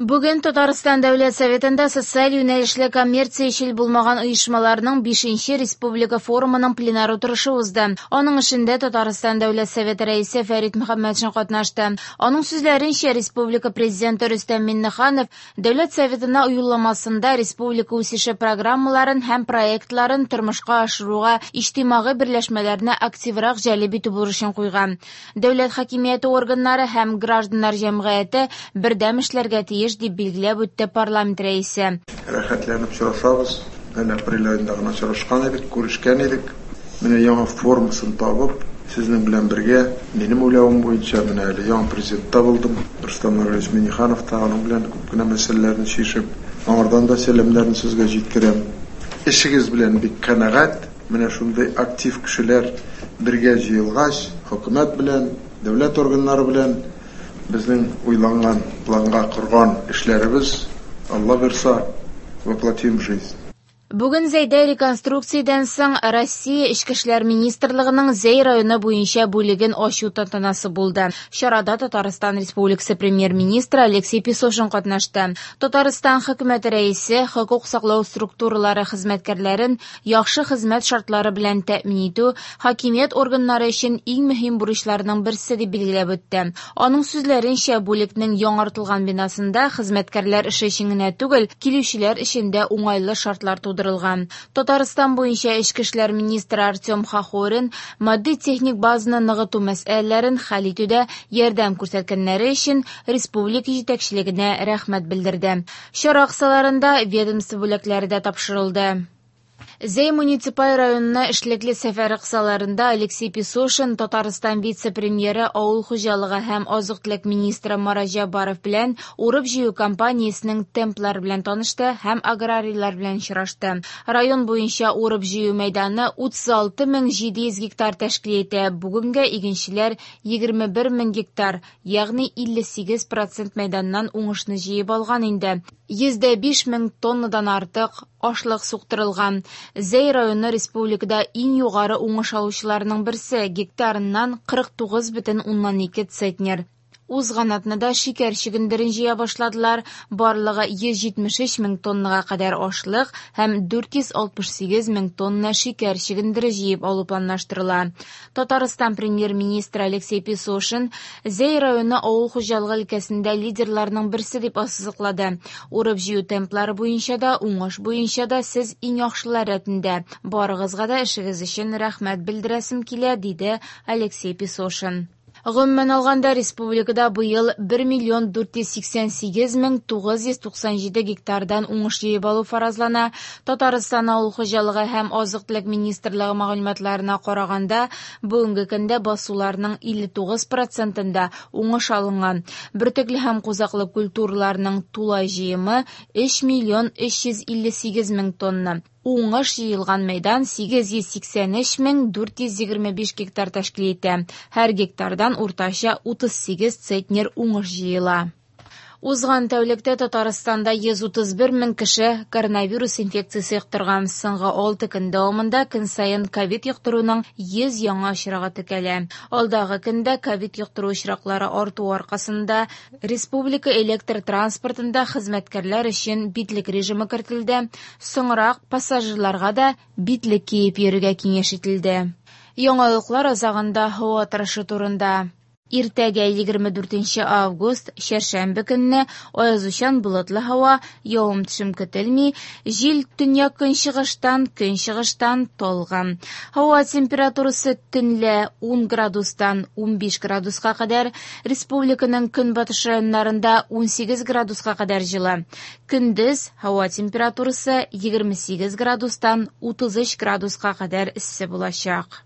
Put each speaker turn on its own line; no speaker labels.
Бүген Татарстан Дәүләт Советында социаль юнәлешле коммерциячел булмаган оешмаларның 5нче республика форумының пленар утырышы узды. Аның эшендә Татарстан Дәүләт Советы Рәисе Фәрит Мөхәммәтшин катнашты. Аның сүзләренчә, республика Президенты Рөстәм Миңнеханов Дәүләт Советына юлламасында республика үсеше программаларын һәм проектларын тормышка ашыруга иҗтимагый берләшмәләрне активрак җәлеп итү бурычын куйган. Дәүләт хакимияте органнары һәм гражданнар җәмгыяте бердәм эшләргә тиеш, дип билгеләп үтте парламент рәисе.
Рәхәтләнеп очрашабыз. Әле апрель аенда гына очрашкан идек, күрешкән идек. Менә яңа формасын табып, сезнең белән бергә, минем уйлавым буенча, менә әле яңа президент та булдым. Рөстәм Нургалиевич Миңнеханов та аның белән күп кенә мәсьәләләрне чишеп, аңардан да сәламнәрне сезгә җиткерәм. Эшегез белән бик канәгать. Менә шундый актив кешеләр бергә җыелгач, хөкүмәт белән, дәүләт органнары белән безнең уйланган, планга корган эшләребез, Алла бирса, воплотим в жизнь.
Бүген Зәйдә реконструкциядән соң Россия Эчке эшләр министрлыгының Зәй районы буенча бүлеген ачу тантанасы булды. Чарада Татарстан Республикасы премьер-министры Алексей Песошин катнашты. Татарстан хөкүмәте рәисе хокук саклау структуралары хезмәткәрләрен яхшы хезмәт шартлары белән тәэмин итү хакимият органнары өчен иң мөһим бурычларның берсе дип билгеләп үтте. Аның сүзләренчә, бүлекнең яңартылган бинасында хезмәткәрләр эше өчен генә түгел, килүчеләр өчен дә уңайлы шартлар тудырылган. Татарстан буенча эчке эшләр министры Артем Хохорин матди-техник базаны ныгыту мәсьәләләрен хәл итүдә ярдәм күрсәткәннәре өчен республика җитәкчелегенә рәхмәт белдерде. Чара кысаларында ведомство бүләкләре дә тапшырылды. Зәй муниципаль районына эшлекле сәфәре кысаларында Алексей Песошин Татарстан вице-премьеры, авыл хуҗалыгы һәм азык-төлек министры Марат Җәббаров белән урып-җыю кампаниясенең темплары белән танышты һәм аграрийлар белән очрашты. Район буенча урып-җыю мәйданы 36 700 гектар тәшкил итә. Бүгенгә игенчеләр 21 мең гектар, ягъни 58% мәйданнан уңышны җыеп алган инде. 105 мең тоннадан артык ашлык суктырылган. Зәй районы республикада иң югары уңыш алучыларның берсе, гектарыннан 49,2 центнер. Узган атнада шикәр чөгендерен җыя башладылар. Барлыгы 173 мең тоннага кадәр ашлык һәм 468 мең тонна шикәр чөгендере җыеп алу планлаштырыла. Татарстан премьер-министры Алексей Песошин Зәй районы авыл хуҗалыгы өлкәсендә лидерларның берсе дип ассызыклады. Урып-җыю темплары буенча да, уңыш буенча да сез иң яхшылар рәтендә. Барыгызга да эшегез өчен рәхмәт белдерәсем килә, диде Алексей Песошин. Гомумән алганда, республикада быел 1 миллион 488 мең 997 гектардан уңыш җыеп алу фаразлана. Татарстан авыл хуҗалыгы һәм азык-төлек министрлыгы мәгълүматларына караганда, бүгенге көндә басуларның 59%-ында уңыш алынган. Бөртекле һәм кузаклы культураларның тулай җыемы 3 миллион 358 мең тонна. Уңыш җыелган мәйдан 883 мең 425 гектар тәшкил итә. Һәр гектардан уртача 38 центнер уңыш җыела. Узган тәүлектә Татарстанда 131 мең кеше коронавирус инфекциясе йоктырган. Соңгы 6 көн дәвамында көн саен ковид йоктыруның 100 яңа очрагы теркәлә. Алдагы көндә ковид йоктыру очраклары арту аркасында республика электр транспортында хезмәткәрләр өчен битлек режимы кертелде. Соңрак пассажирларга да битлек киеп йөрергә киңәш ителде. Яңалыклар азагында һава торышы турында. Иртәгә 24 август, чәршәмбе көнне аязучан болытлы һава, явым-төшем көтелми, җил төньяк-көнчыгыштан, көнчыгыштан талгын. Һава температурасы төнлә 10 градустан 15 градуска кадәр, республиканың көнбатыш районнарында 18 градуска кадәр җылы. Көндез һава температурасы 28 градустан 33 градуска кадәр эссе булачак.